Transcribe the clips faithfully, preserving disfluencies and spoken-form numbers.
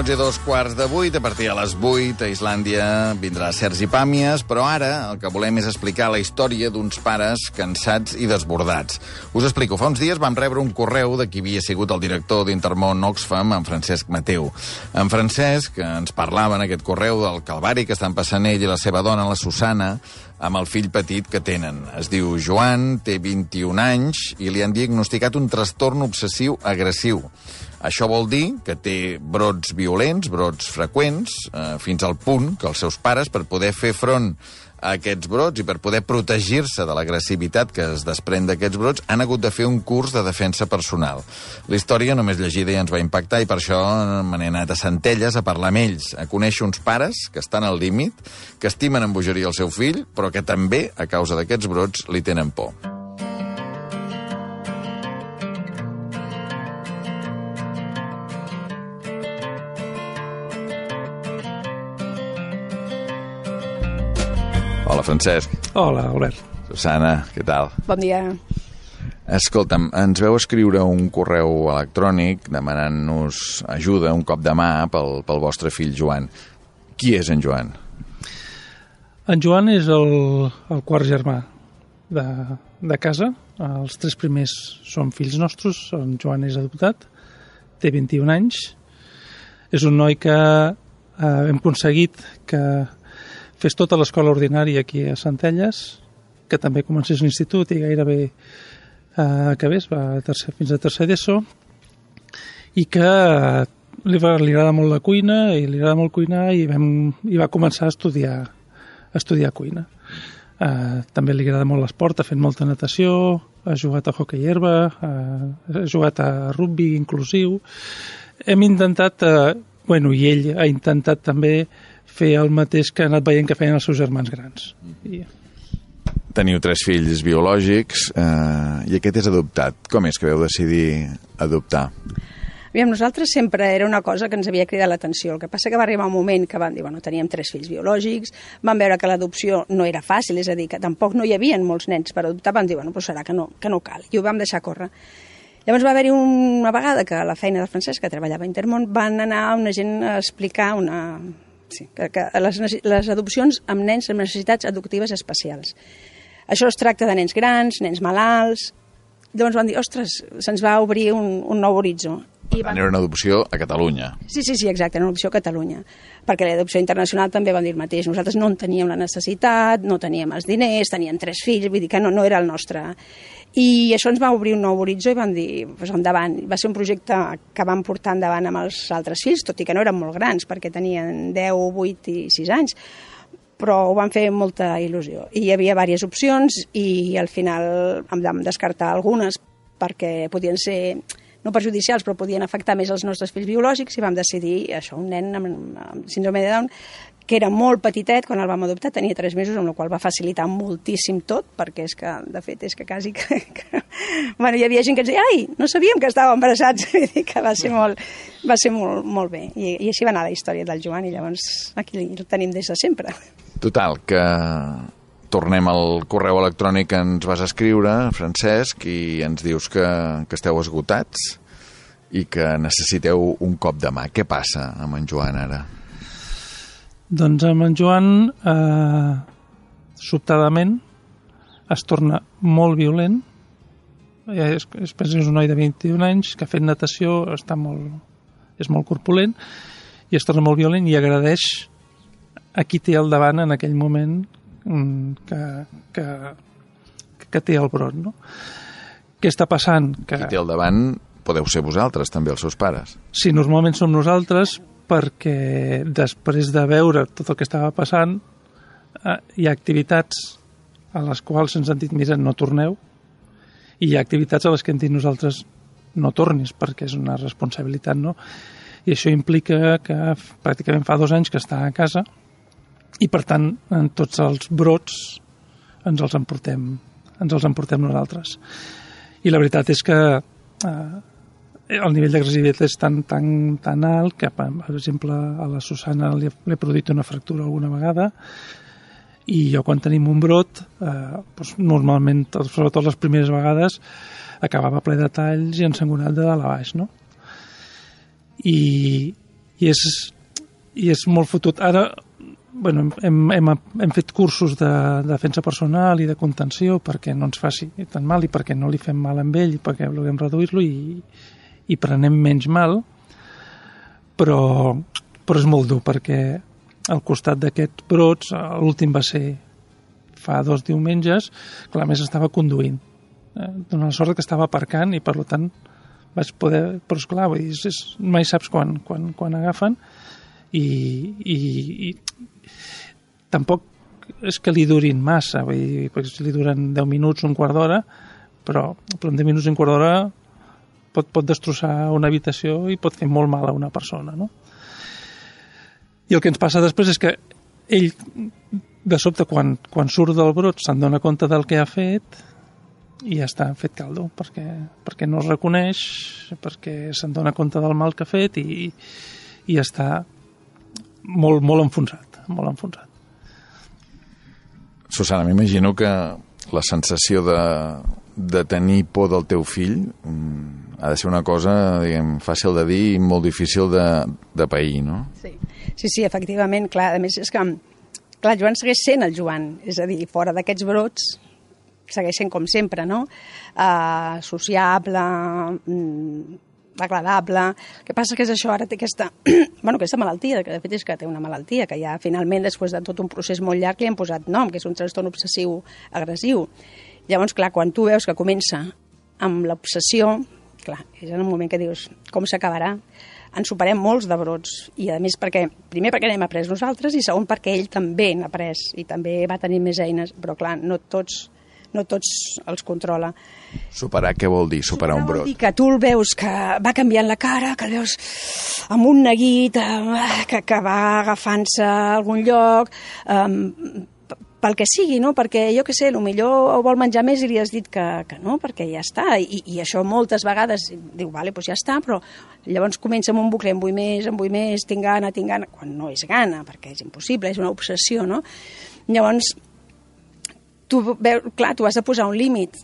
minuts i dos quarts de vuit. A partir de les vuit, a Islàndia vindrà Sergi Pàmies, però ara el que volem és explicar la història d'uns pares cansats i desbordats. Us explico. Fa uns dies vam rebre un correu de qui havia sigut el director d'Intermón Oxfam, en Francesc Mateu. En Francesc ens parlava en aquest correu del calvari que estan passant ell i la seva dona, la Susana, amb el fill petit que tenen. Es diu Joan, té vint-i-un anys i li han diagnosticat un trastorn obsessiu agressiu. Això vol dir que té brots violents, brots freqüents, eh, fins al punt que els seus pares, per poder fer front a aquests brots i per poder protegir-se de l'agressivitat que es desprèn d'aquests brots, han hagut de fer un curs de defensa personal. La història, només llegida, ja ens va impactar i per això me n'he anat a Centelles a parlar amb ells, a conèixer uns pares que estan al límit, que estimen amb bogeria el seu fill, però que també, a causa d'aquests brots, li tenen por. Hola, Francesc. Hola, Albert. Susana, què tal? Bon dia. Escolta'm, ens veu escriure un correu electrònic demanant-nos ajuda, un cop de mà, pel, pel vostre fill Joan. Qui és en Joan? En Joan és el, el quart germà de, de casa. Els tres primers són fills nostres. En Joan és adoptat, té vint-i-un anys. És un noi que eh, hem aconseguit que fes tota l'escola ordinària aquí a Centelles, que també comencés l'institut i gairebé eh, acabés, va a tercer, fins a tercer d'ESO, i que eh, li, va, li agrada molt la cuina i li agrada molt cuinar i, vam, i va començar a estudiar, a estudiar cuina. Eh, també li agrada molt l'esport, ha fet molta natació, ha jugat a hoquei herba, eh, ha jugat a rugby inclusiu. Hem intentat, eh, bueno, i ell ha intentat també fer el mateix que ha anat veient que feien els seus germans grans. I... Teniu tres fills biològics eh, i aquest és adoptat. Com és que vau decidir adoptar? Aviam, nosaltres sempre era una cosa que ens havia cridat l'atenció. El que passa que va arribar un moment que van dir, bueno, teníem tres fills biològics, van veure que l'adopció no era fàcil, és a dir, que tampoc no hi havia molts nens per adoptar, van dir, bueno, però serà que no, que no cal. I ho vam deixar córrer. Llavors va haver-hi una vegada que a la feina del Francesc, que treballava a Intermón, van anar una gent a explicar una... Sí, que, que les, les adopcions amb nens amb necessitats adoptives especials. Això es tracta de nens grans, nens malalts. Llavors van dir, ostres, se'ns va obrir un, un nou horitzó. I van... Era una adopció a Catalunya. Sí, sí, sí, exacte, una adopció a Catalunya. Perquè l'adopció internacional també van dir el mateix. Nosaltres no en teníem la necessitat, no teníem els diners, teníem tres fills, vull dir que no, no era el nostre... I això ens va obrir un nou horitzó i vam dir, pues, endavant. Va ser un projecte que vam portar endavant amb els altres fills, tot i que no eren molt grans, perquè tenien deu, vuit i sis anys, però ho van fer amb molta il·lusió. I hi havia diverses opcions i al final en vam descartar algunes perquè podien ser, no perjudicials, però podien afectar més els nostres fills biològics i vam decidir això, un nen amb, amb síndrome de Down, que era molt petitet quan el vam adoptar, tenia tres mesos, amb la qual va facilitar moltíssim tot, perquè és que, de fet, és que quasi... Que, que... Bueno, hi havia gent que ens deia, ai, no sabíem que estàvem embarassats, que va ser molt, va ser molt, molt bé. I, I així va anar la història del Joan, i llavors aquí el tenim des de sempre. Total, que tornem al correu electrònic que ens vas escriure, Francesc, i ens dius que, que esteu esgotats i que necessiteu un cop de mà. Què passa amb en Joan ara? Doncs amb en Joan, eh, sobtadament, es torna molt violent. És, és, és un noi de vint-i-un anys que ha fet natació, està molt, és molt corpulent, i es torna molt violent i agradeix a qui té al davant en aquell moment que, que, que té el brot. No? Què està passant? Que... Qui té al davant podeu ser vosaltres, també, els seus pares. Sí, normalment som nosaltres, perquè després de veure tot el que estava passant eh, hi ha activitats a les quals ens han dit, mira, no torneu, i hi ha activitats a les que hem dit nosaltres no tornis, perquè és una responsabilitat, no? I això implica que pràcticament fa dos anys que està a casa i, per tant, en tots els brots ens els emportem, ens els emportem nosaltres. I la veritat és que eh, el nivell d'agressivitat és tan, tan, tan alt que, per exemple, a la Susana li he produït una fractura alguna vegada i jo quan tenim un brot, eh, doncs normalment, sobretot les primeres vegades, acabava ple de talls i ensangonat de dalt a baix, no? I, i és, i és molt fotut. Ara, bueno, hem, hem, hem fet cursos de, de defensa personal i de contenció perquè no ens faci tan mal i perquè no li fem mal amb ell i perquè vulguem reduir-lo i, i prenem menys mal, però, però és molt dur perquè al costat d'aquests brots, l'últim va ser fa dos diumenges, clar, a més estava conduint. Eh, Dóna la sort que estava aparcant i, per tant, vaig poder... Però, esclar, vull dir, és, mai saps quan, quan, quan agafen i, i, i tampoc és que li durin massa, vull dir, perquè si li duren deu minuts, un quart d'hora, però, però en deu minuts, un quart d'hora pot, pot destrossar una habitació i pot fer molt mal a una persona, no? I el que ens passa després és que ell... de sobte, quan, quan surt del brot, se'n dona compte del que ha fet i ja està fet caldo, perquè, perquè no es reconeix, perquè se'n dona compte del mal que ha fet i, i està molt, molt enfonsat, molt enfonsat. Susana, m'imagino que la sensació de, de tenir por del teu fill ha de ser una cosa, diguem, fàcil de dir i molt difícil de, de pair, no? Sí. sí, sí, efectivament, clar, a més és que clar, Joan segueix sent el Joan, és a dir, fora d'aquests brots segueix sent com sempre, no? Uh, sociable, mm, agradable. El que passa que és això, ara té aquesta, bueno, aquesta malaltia, que de fet és que té una malaltia, que ja finalment, després de tot un procés molt llarg, li han posat nom, que és un trastorn obsessiu agressiu. Llavors, clar, quan tu veus que comença amb l'obsessió, clar, és en un moment que dius, com s'acabarà? En superem molts de brots, i a més perquè, primer perquè n'hem après nosaltres i segon perquè ell també n'ha après i també va tenir més eines, però clar, no tots, no tots els controla. Superar què vol dir, superar, superar un brot? Vol dir que tu el veus que va canviant la cara, que el veus amb un neguit, que, que va agafant-se a algun lloc, um, pel que sigui, no? Perquè jo què sé, potser vol menjar més i li has dit que, que no, perquè ja està, I, i això moltes vegades diu, vale, doncs ja està, però llavors comença amb un bucle, en vull més, en vull més, tinc gana, tinc gana, quan no és gana, perquè és impossible, és una obsessió, no? Llavors, tu veus, clar, tu has de posar un límit,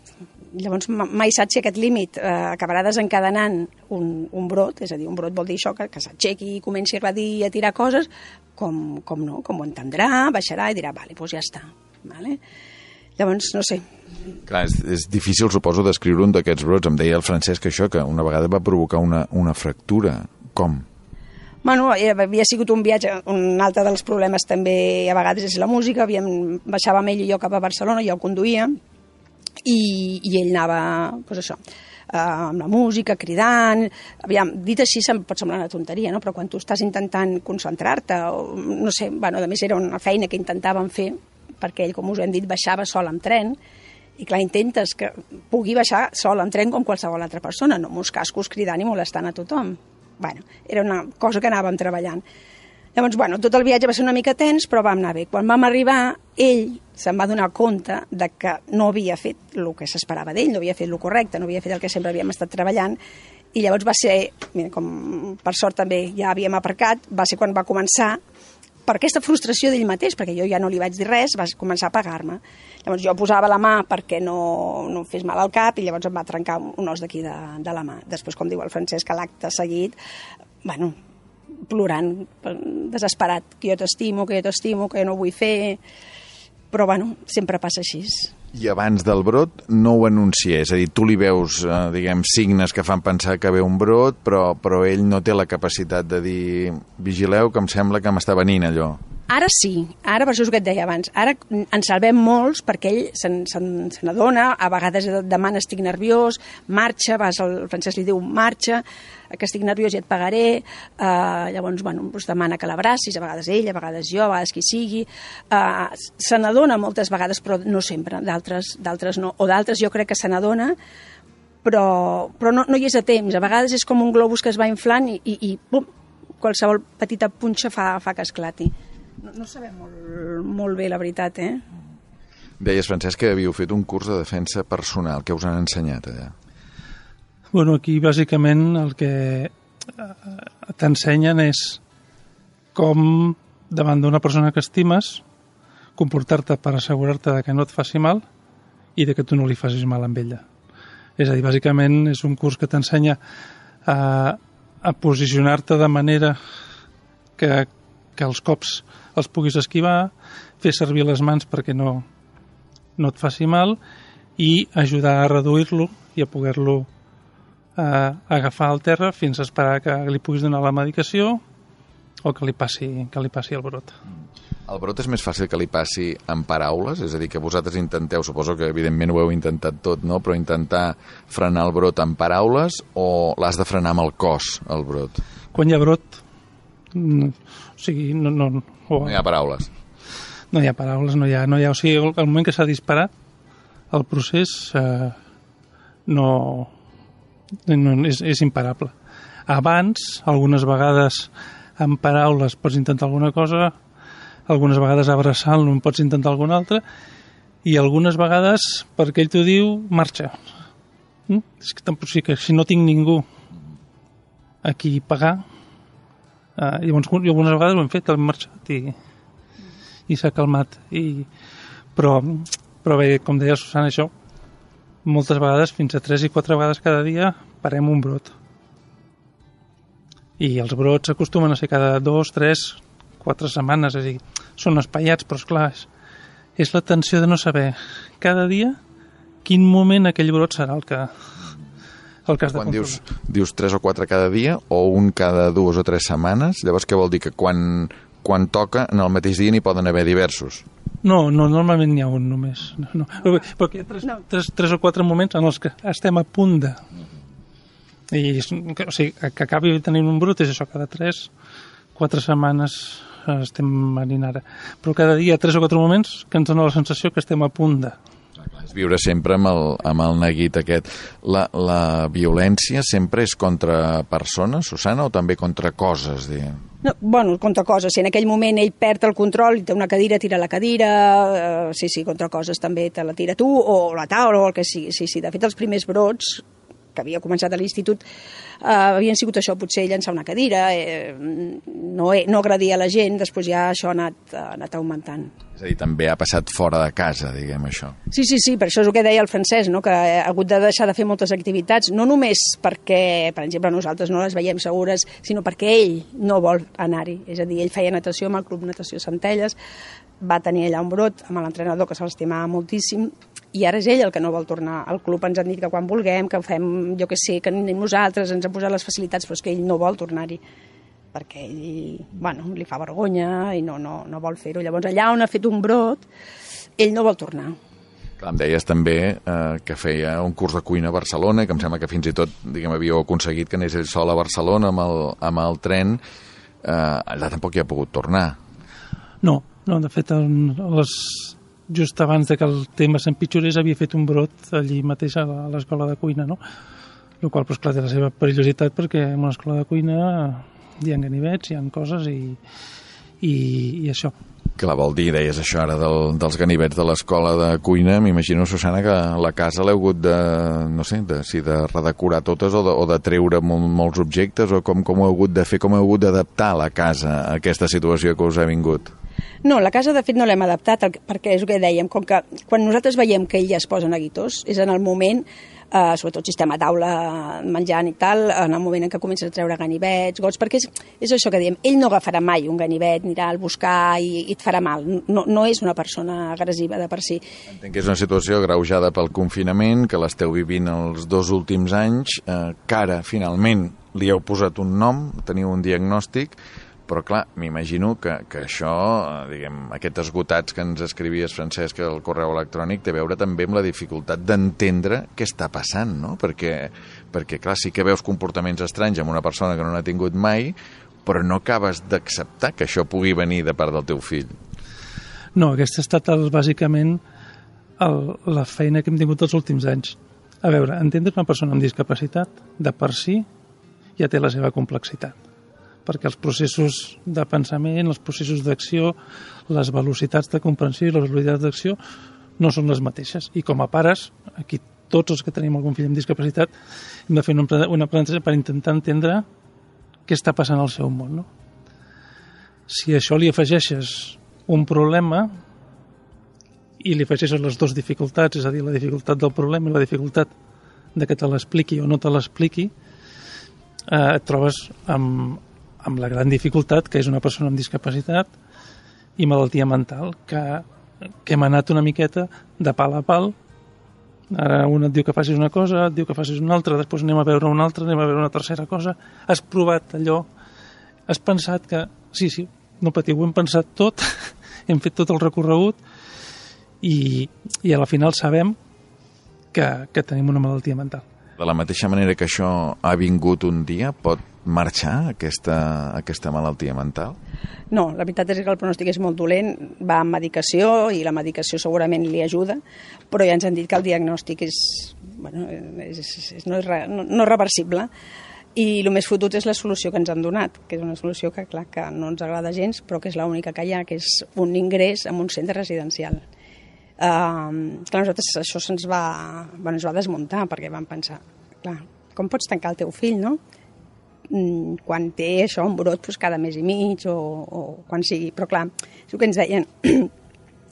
llavors mai saps si aquest límit eh, acabarà desencadenant un, un brot, és a dir, un brot vol dir això, que, que s'aixequi i comenci a dir i a tirar coses, com, com no, com ho entendrà, baixarà i dirà, vale, doncs ja està. Vale? Llavors, no sé. Clar, és, és difícil, suposo, descriure un d'aquests brots. Em deia el Francesc això, que una vegada va provocar una, una fractura. Com? Bueno, havia sigut un viatge, un altre dels problemes també a vegades és la música, havíem, baixàvem ell i jo cap a Barcelona, jo el conduïa, i, i ell anava, doncs això, Uh, amb la música, cridant, aviam, dit així se'm pot semblar una tonteria, no? Però quan tu estàs intentant concentrar-te, o, no sé, bueno, a més era una feina que intentàvem fer, perquè ell, com us hem dit, baixava sol amb tren, i clar, intentes que pugui baixar sol amb tren com qualsevol altra persona, no amb uns cascos cridant i molestant a tothom. Bueno, era una cosa que anàvem treballant. Llavors, bueno, tot el viatge va ser una mica tens, però vam anar bé. Quan vam arribar, ell se'n va donar compte de que no havia fet el que s'esperava d'ell, no havia fet el correcte, no havia fet el que sempre havíem estat treballant, i llavors va ser, mira, com per sort també ja havíem aparcat, va ser quan va començar, per aquesta frustració d'ell mateix, perquè jo ja no li vaig dir res, va començar a pagar-me. Llavors jo posava la mà perquè no, no em fes mal al cap, i llavors em va trencar un os d'aquí de, de la mà. Després, com diu el Francesc, a l'acte seguit, bueno, plorant, desesperat, que jo t'estimo, que jo t'estimo, que jo no vull fer, però bueno, sempre passa així. I abans del brot no ho anuncia, és a dir, tu li veus, eh, diguem, signes que fan pensar que ve un brot, però, però ell no té la capacitat de dir, vigileu, que em sembla que m'està venint allò. Ara sí, ara per això és el que et deia abans, ara en salvem molts perquè ell se n'adona, a vegades demana estic nerviós, marxa, vas al Francesc li diu marxa, que estic nerviós i et pagaré, uh, llavors bueno, doncs demana que l'abracis, a vegades ell, a vegades jo, a vegades qui sigui, uh, se n'adona moltes vegades però no sempre, d'altres d'altres no, o d'altres jo crec que se n'adona, però, però no, no hi és a temps, a vegades és com un globus que es va inflant i, i, i pum, qualsevol petita punxa fa, fa que esclati. No, no sabem molt, molt bé, la veritat, eh? Deies, Francesc, que havíeu fet un curs de defensa personal. Què us han ensenyat allà? Bueno, aquí bàsicament el que t'ensenyen és com, davant d'una persona que estimes, comportar-te per assegurar-te de que no et faci mal i de que tu no li facis mal amb ella. És a dir, bàsicament és un curs que t'ensenya a, a posicionar-te de manera que, que els cops els puguis esquivar, fer servir les mans perquè no, no et faci mal i ajudar a reduir-lo i a poder-lo eh, agafar al terra fins a esperar que li puguis donar la medicació o que li passi, que li passi el brot. El brot és més fàcil que li passi en paraules? És a dir, que vosaltres intenteu, suposo que evidentment ho heu intentat tot, no? Però intentar frenar el brot en paraules o l'has de frenar amb el cos, el brot? Quan hi ha brot, no, o sigui, no, no, o, no hi ha paraules. No hi ha paraules, no hi ha... No hi ha o sigui, el, el moment que s'ha disparat, el procés eh, no, no és, és imparable. Abans, algunes vegades amb paraules pots intentar alguna cosa, algunes vegades abraçant-lo en pots intentar alguna altra, i algunes vegades, perquè ell t'ho diu, marxa. Mm? És que, tampoc, sí que si no tinc ningú a qui pagar, eh, llavors algunes vegades ho hem fet, hem marxat i, i s'ha calmat. I, però, però bé, com deia Susana, això, moltes vegades, fins a tres i quatre vegades cada dia, parem un brot. I els brots acostumen a ser cada dos, tres, quatre setmanes, és a dir, són espaiats, però esclar, és, és la tensió de no saber cada dia quin moment aquell brot serà el que, el que has de quan controlar. Dius, dius tres o quatre cada dia o un cada dues o tres setmanes, llavors què vol dir? Que quan, quan toca, en el mateix dia n'hi poden haver diversos? No, no, normalment n'hi ha un només. No, no. Però hi ha tres, No. tres, tres o quatre moments en els que estem a punt de... I, o sigui, que acabi tenint un brot és això, cada tres, quatre setmanes estem venint ara. Però cada dia tres o quatre moments que ens dona la sensació que estem a punt de... És viure sempre amb el, amb el neguit aquest. La, la violència sempre és contra persones, Susana, o també contra coses, diguem? No, bueno, contra coses. Si en aquell moment ell perd el control i té una cadira, tira la cadira, eh, sí, sí, contra coses també te la tira tu, o la taula, o el que sigui. Sí, sí, de fet, els primers brots que havia començat a l'institut eh, havien sigut això, potser llançar una cadira, eh, no, no agredir a la gent, després ja això ha anat, ha anat augmentant. És a dir, també ha passat fora de casa, diguem, això. Sí, sí, sí, per això és el que deia el Francesc, no? Que ha hagut de deixar de fer moltes activitats, no només perquè, per exemple, nosaltres no les veiem segures, sinó perquè ell no vol anar-hi. És a dir, ell feia natació amb el Club Natació Centelles, va tenir allà un brot amb l'entrenador que se l'estimava moltíssim, i ara és ell el que no vol tornar al club. Ens han dit que quan vulguem, que ho fem, jo que sé, que anem nosaltres, ens han posat les facilitats, però és que ell no vol tornar-hi, perquè ell, bueno, li fa vergonya i no, no, no vol fer-ho. Llavors, allà on ha fet un brot, ell no vol tornar. Clar, em deies també eh, que feia un curs de cuina a Barcelona, que em sembla que fins i tot, diguem, havíeu aconseguit que anés ell sol a Barcelona amb el, amb el tren. Eh, allà tampoc hi ha pogut tornar. No, no, de fet, el, les, just abans de que el tema s'empitjorés havia fet un brot allí mateix a l'escola de cuina, no? El qual, doncs, clar, té la seva perillositat perquè en una escola de cuina hi ha ganivets, hi ha coses i, i, i això. Clar, vol dir, deies això ara del, dels ganivets de l'escola de cuina, m'imagino, Susana, que la casa l'heu hagut de, no sé, de, si de redecorar totes o de, o de treure mol, molts objectes, o com, com ho heu hagut de fer, com heu hagut d'adaptar la casa a aquesta situació que us ha vingut? No, la casa de fet no l'hem adaptat perquè és el que dèiem, com que quan nosaltres veiem que ell ja es posa neguitós, és en el moment, eh, sobretot si estem a taula menjant i tal, en el moment en què comences a treure ganivets, gots, perquè és, és això que diem, ell no agafarà mai un ganivet, anirà al buscar i, i et farà mal, no, no és una persona agressiva de per si. Entenc que és una situació agreujada pel confinament, que l'esteu vivint els dos últims anys, eh, que ara, finalment, li heu posat un nom, teniu un diagnòstic, però clar, m'imagino que, que això, diguem, aquests esgotats que ens escrivies, Francesc, al correu electrònic, té a veure també amb la dificultat d'entendre què està passant, no? Perquè, perquè, clar, sí que veus comportaments estranys amb una persona que no n'ha tingut mai, però no acabes d'acceptar que això pugui venir de part del teu fill. No, aquesta ha estat el, bàsicament el, la feina que hem tingut els últims anys. A veure, entendre una persona amb discapacitat, de per si, ja té la seva complexitat, perquè els processos de pensament, els processos d'acció, les velocitats de comprensió i les velocitats d'acció no són les mateixes. I com a pares, aquí tots els que tenim algun fill amb discapacitat, hem de fer un aprenentatge per intentar entendre què està passant al seu món, no? Si a això li afegeixes un problema i li afegeixes les dues dificultats, és a dir, la dificultat del problema i la dificultat de que te l'expliqui o no te l'expliqui, eh, et trobes amb amb la gran dificultat que és una persona amb discapacitat i malaltia mental, que, que hem anat una miqueta de pal a pal. Ara un et diu que facis una cosa, et diu que facis una altra, després anem a veure una altra, anem a veure una tercera cosa. Has provat allò, has pensat que... Sí, sí, no patiu, ho hem pensat tot, hem fet tot el recorregut i, i a la final sabem que, que tenim una malaltia mental. De la mateixa manera que això ha vingut un dia, pot marxar aquesta, aquesta malaltia mental? No, la veritat és que el pronòstic és molt dolent, va amb medicació i la medicació segurament li ajuda, però ja ens han dit que el diagnòstic és, bueno, és, és, no, és re, no, no és reversible i el més fotut és la solució que ens han donat, que és una solució que, clar, que no ens agrada gens, però que és l'única que hi ha, que és un ingrés en un centre residencial. Uh, clar, nosaltres això se'ns va, bueno, ens va desmuntar perquè vam pensar, clar, com pots tancar el teu fill, no? Quan té això, un brot doncs cada mes i mig o, o quan sigui, però clar, és el que ens deien,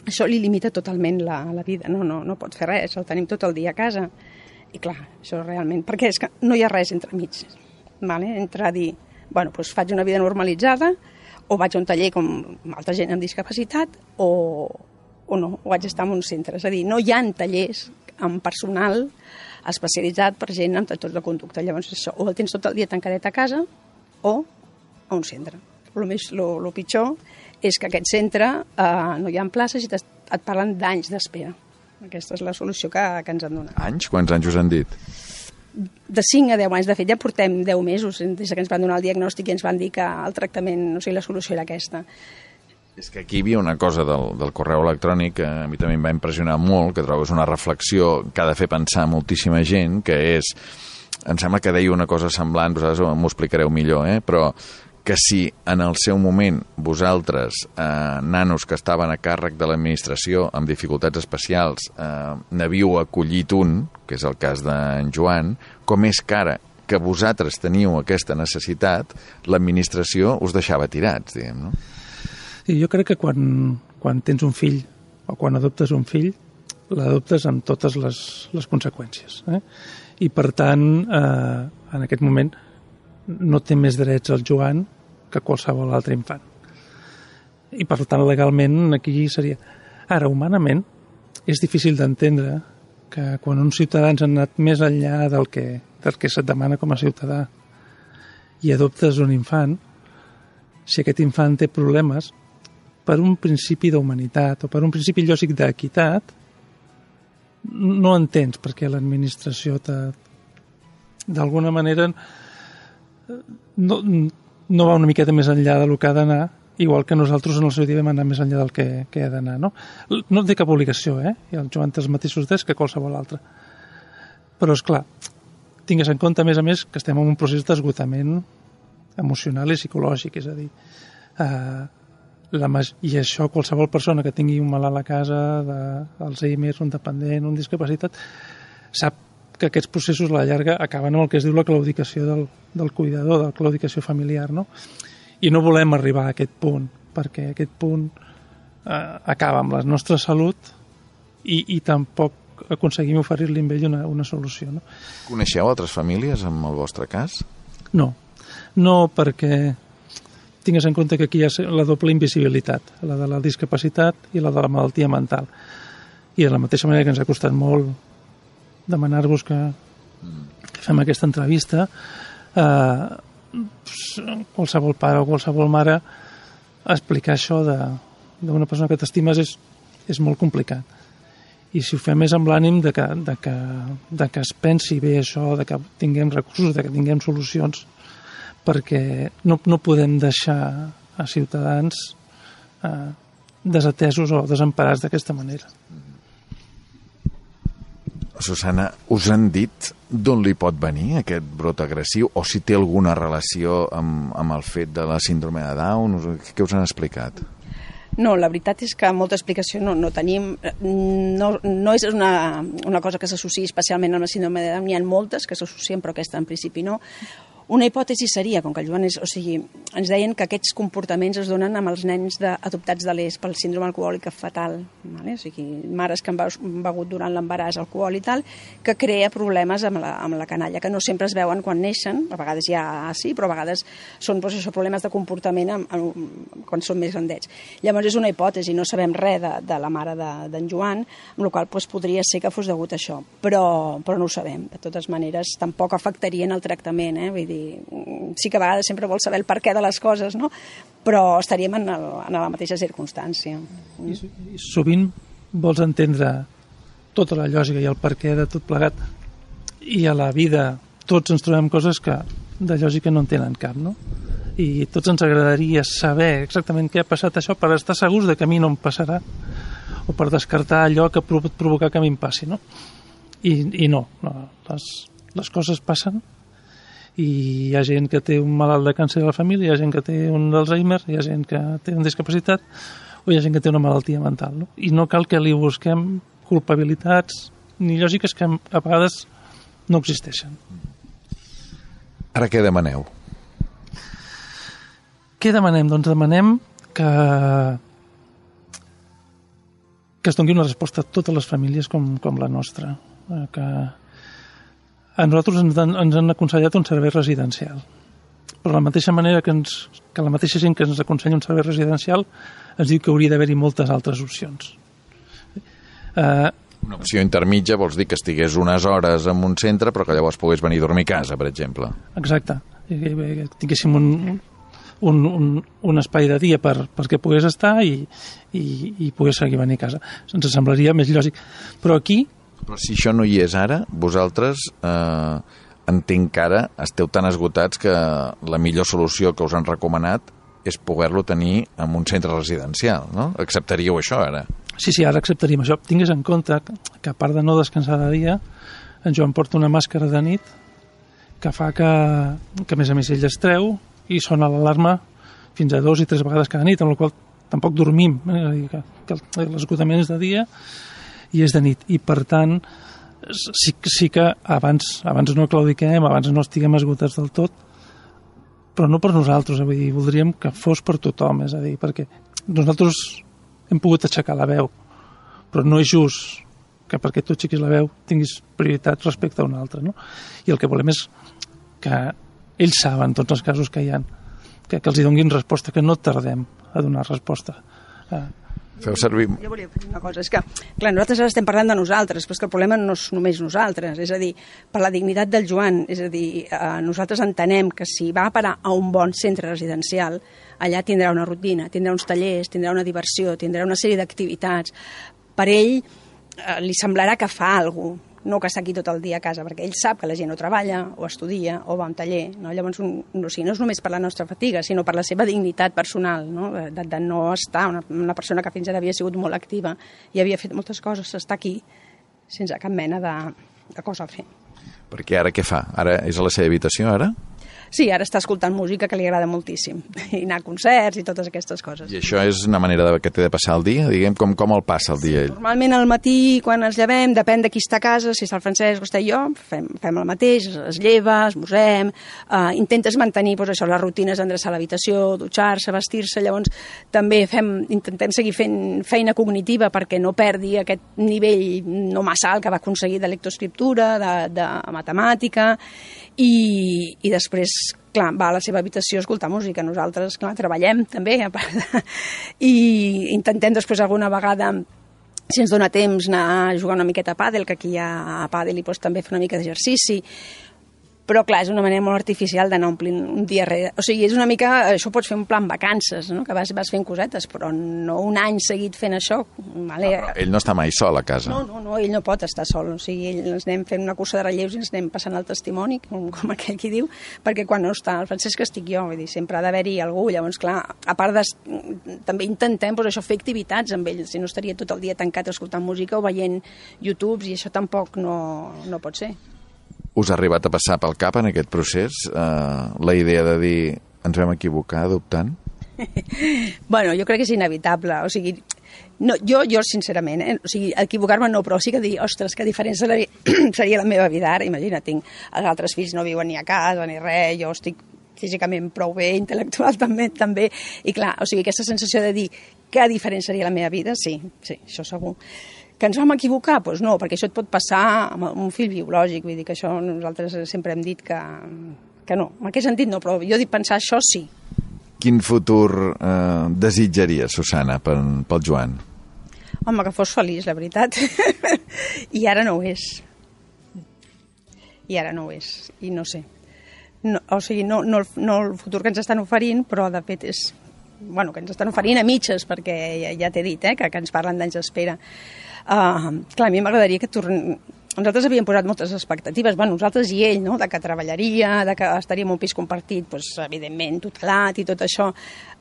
això li limita totalment la, la vida, no, no, no pot fer res, el tenim tot el dia a casa i clar, això realment, perquè és que no hi ha res entre mig, vale? Entre dir, bueno, doncs faig una vida normalitzada o vaig a un taller com altra gent amb discapacitat o, o no, o vaig estar en un centre, és a dir, no hi ha tallers amb personal especialitzat per gent amb trastorns de conducta. Llavors, això, o el tens tot el dia tancadet a casa o a un centre. El més, lo, lo pitjor és que aquest centre eh, no hi ha places i et parlen d'anys d'espera. Aquesta és la solució que, que ens han donat. Anys? Quants anys us han dit? De cinc a deu anys. De fet, ja portem deu mesos des que ens van donar el diagnòstic i ens van dir que el tractament, o sigui, la solució era aquesta. És que aquí hi havia una cosa del, del correu electrònic que a mi també em va impressionar molt, que trobo és una reflexió que ha de fer pensar moltíssima gent, que és, em sembla que deia una cosa semblant, vosaltres m'ho explicareu millor, eh? Però que si en el seu moment vosaltres, eh, nanos que estaven a càrrec de l'administració amb dificultats especials, eh, n'havíeu acollit un, que és el cas d'en Joan, com és que ara que vosaltres teniu aquesta necessitat, l'administració us deixava tirats, diguem, no? I jo crec que quan, quan tens un fill o quan adoptes un fill, l'adoptes amb totes les, les conseqüències. Eh? I per tant, eh, en aquest moment, no té més drets el Joan que qualsevol altre infant. I per tant, legalment, aquí seria... Ara, humanament, és difícil d'entendre que quan uns ciutadans han anat més enllà del que, del que se't demana com a ciutadà i adoptes un infant, si aquest infant té problemes, per un principi d'humanitat o per un principi lògic d'equitat, no entens perquè l'administració d'alguna manera no, no va una miqueta més enllà del que ha d'anar, igual que nosaltres en el seu dia vam anar més enllà del que, que ha d'anar. No? No té cap obligació, eh? I el Joan té els mateixos drets que qualsevol altre. Però, esclar, tingues en compte, a més a més, que estem en un procés d'esgotament emocional i psicològic, és a dir, eh, La, i això qualsevol persona que tingui un malalt a casa, de, Alzheimer, un dependent, un discapacitat, sap que aquests processos a la llarga acaben amb el que es diu la claudicació del, del cuidador, de la claudicació familiar, no? I no volem arribar a aquest punt, perquè aquest punt eh, acaba amb la nostra salut i, i tampoc aconseguim oferir-li amb ell una, una solució, no? Coneixeu altres famílies amb el vostre cas? No, no perquè tingues en compte que aquí hi ha la doble invisibilitat, la de la discapacitat i la de la malaltia mental. I de la mateixa manera que ens ha costat molt demanar-vos que fem aquesta entrevista, eh, qualsevol pare o qualsevol mare explicar això d'una persona que t'estimes és, és molt complicat. I si ho fem és amb l'ànim de que, de, que, de que es pensi bé això, de que tinguem recursos, de que tinguem solucions, perquè no, no podem deixar a ciutadans eh, desatesos o desemparats d'aquesta manera. Susana, us han dit d'on li pot venir aquest brot agressiu o si té alguna relació amb, amb el fet de la síndrome de Down? Què us han explicat? No, la veritat és que molta explicació no, no tenim. No, no és una, una cosa que s'associï especialment amb la síndrome de Down. N'hi ha moltes que s'associen, però aquesta en principi no. Una hipòtesi seria, com que el Joan és... O sigui, ens deien que aquests comportaments es donen amb els nens de, adoptats de l'E S pel síndrome alcohòlic fatal. Vale? O sigui, mares que han begut durant l'embaràs alcohol i tal, que crea problemes amb la, amb la canalla, que no sempre es veuen quan neixen, a vegades ja sí, però a vegades són doncs, això, problemes de comportament amb, amb, quan són més grandets. Llavors és una hipòtesi, no sabem res de, de la mare d'en de, Joan, amb la qual doncs, podria ser que fos degut a això, però, però no ho sabem. De totes maneres, tampoc afectarien el tractament, eh? Vull dir, sí que a vegades sempre vol saber el perquè de les coses, no? Però estaríem en, el, en la mateixa circumstància. I, I sovint vols entendre tota la lògica i el perquè de tot plegat, i a la vida tots ens trobem coses que de lògica no en tenen cap, no? I tots ens agradaria saber exactament què ha passat això per estar segurs de que a mi no em passarà, o per descartar allò que pot provocar que a mi em passi, no? I, i no, no les, les coses passen, i hi ha gent que té un malalt de càncer a la família, hi ha gent que té un d'Alzheimer, hi ha gent que té una discapacitat, o hi ha gent que té una malaltia mental, no? I no cal que li busquem culpabilitats ni lògiques que a vegades no existeixen. Ara què demaneu? Què demanem? Doncs demanem que que es doni una resposta a totes les famílies com, com la nostra, que a nosaltres ens han, ens han aconsellat un servei residencial. Però de la mateixa manera que, ens, que la mateixa gent que ens aconsella un servei residencial ens diu que hauria d'haver-hi moltes altres opcions. Uh, Una opció intermitja vols dir que estigués unes hores en un centre però que llavors pogués venir a dormir a casa, per exemple. Exacte. Que tinguéssim un, un, un, un espai de dia per, perquè pogués estar i, i, i pogués seguir venir a casa. Ens semblaria més lògic. Però aquí... Però si això no hi és ara, vosaltres eh, entenc que ara esteu tan esgotats que la millor solució que us han recomanat és poder-lo tenir en un centre residencial, no? Acceptaríeu això ara? Sí, sí, ara acceptaríem això. Tingues en compte que a part de no descansar de dia, en Joan porta una màscara de nit que fa que, que a més a més ell es treu i sona l'alarma fins a dos i tres vegades cada nit, amb la qual tampoc dormim, eh? que, que l'esgotament és de dia i és de nit, i per tant sí, sí que abans, abans no claudiquem, abans no estiguem esgotats del tot, però no per nosaltres, vull dir, voldríem que fos per tothom, és a dir, perquè nosaltres hem pogut aixecar la veu, però no és just que perquè tu aixequis la veu tinguis prioritat respecte a un altre, no? I el que volem és que ells saben tots els casos que hi ha, que, que els hi donguin resposta, que no tardem a donar resposta. Eh, Feu servir... Jo volia dir una cosa, és que, clar, nosaltres ara estem parlant de nosaltres, però és que el problema no és només nosaltres, és a dir, per la dignitat del Joan, és a dir, eh, nosaltres entenem que si va a parar a un bon centre residencial, allà tindrà una rutina, tindrà uns tallers, tindrà una diversió, tindrà una sèrie d'activitats. Per ell eh, li semblarà que fa alguna cosa, no que està aquí tot el dia a casa, perquè ell sap que la gent o treballa, o estudia, o va a un taller, no? Llavors, un, no, o sigui, no és només per la nostra fatiga, sinó per la seva dignitat personal, no? De, de no estar, una, una persona que fins ara havia sigut molt activa i havia fet moltes coses, està aquí sense cap mena de, de cosa a fer. Perquè ara què fa? Ara és a la seva habitació, ara? Sí, ara està escoltant música que li agrada moltíssim, i anar a concerts i totes aquestes coses. I això és una manera de, que té de passar el dia? Diguem, com, com el passa el dia ell? Normalment al matí, quan ens llevem, depèn de qui està a casa, si està el Francesc o està jo, fem, fem el mateix, es lleva, esmorzem, uh, intentes mantenir doncs, això, les rutines d'endreçar l'habitació, dutxar-se, vestir-se, llavors també fem, intentem seguir fent feina cognitiva perquè no perdi aquest nivell no massa alt que va aconseguir de lectoescriptura, de, de matemàtica, i, i després clar, va a la seva habitació a escoltar música. Nosaltres, clar, treballem també, a part de... i intentem després alguna vegada, si ens dona temps, anar a jugar una miqueta a pàdel, que aquí hi ha a pàdel i doncs, també fer una mica d'exercici. Però, clar, és una manera molt artificial d'anar omplint un dia rere. O sigui, és una mica... Això pots fer un plan vacances, no? Que vas, vas fent cosetes, però no un any seguit fent això. Vale? No, ell no està mai sol a casa. No, no, no, ell no pot estar sol. O sigui, ell, ens anem fent una cursa de relleus i ens anem passant el testimoni, com, com aquell qui diu, perquè quan no està el Francesc estic jo, vull dir, sempre ha d'haver-hi algú. Llavors, clar, a part de... També intentem, doncs, això, fer activitats amb ell, si no estaria tot el dia tancat escoltant música o veient YouTubes, i això tampoc no, no pot ser. Us ha arribat a passar pel cap en aquest procés eh, la idea de dir ens vam equivocar adoptant? Bueno, jo crec que és inevitable, o sigui, no, jo, jo sincerament, eh? O sigui, equivocar-me no, però sí que dir, ostres, que diferent seria la meva vida ara, imagina't, tinc, els altres fills no viuen ni a casa ni res, jo estic físicament prou bé, intel·lectual també, també, i clar, o sigui, aquesta sensació de dir que diferent seria la meva vida, sí, sí, això segur. Que ens vam equivocar? Doncs no, perquè això et pot passar amb un fill biològic, vull dir que això nosaltres sempre hem dit que, que no, en aquest sentit no, però jo dic pensar això sí. Quin futur eh, desitjaria, Susana, pel, pel Joan? Home, que fos feliç, la veritat. I ara no ho és. I ara no ho és, i no sé. No, o sigui, no, no, no el futur que ens estan oferint, però de fet és... Bueno, que ens estan oferint a mitges, perquè ja, ja t'he dit, eh, que, que ens parlen d'anys d'espera. Uh, clar, a mi m'agradaria que torn... Nosaltres havíem posat moltes expectatives, bueno, nosaltres i ell, no?, de que treballaria, de que estaria en un pis compartit, doncs, evidentment, tutelat i tot això.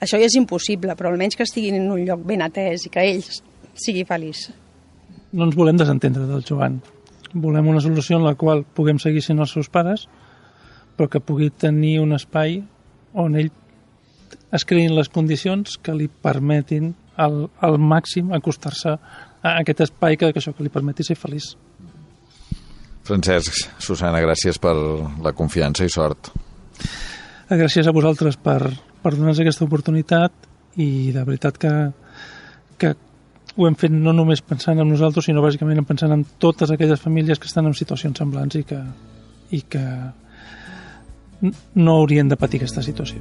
Això ja és impossible, però almenys que estiguin en un lloc ben atès i que ell sigui feliç. No ens volem desentendre del Joan. Volem una solució en la qual puguem seguir sent els seus pares, però que pugui tenir un espai on ell es creïn les condicions que li permetin al, al màxim acostar-se a aquest espai que, que això que li permeti ser feliç. Francesc, Susana, gràcies per la confiança i sort. Gràcies a vosaltres per, per donar-nos aquesta oportunitat i de veritat que, que ho hem fet no només pensant en nosaltres, sinó bàsicament pensant en totes aquelles famílies que estan en situacions semblants i que, i que no haurien de patir aquesta situació.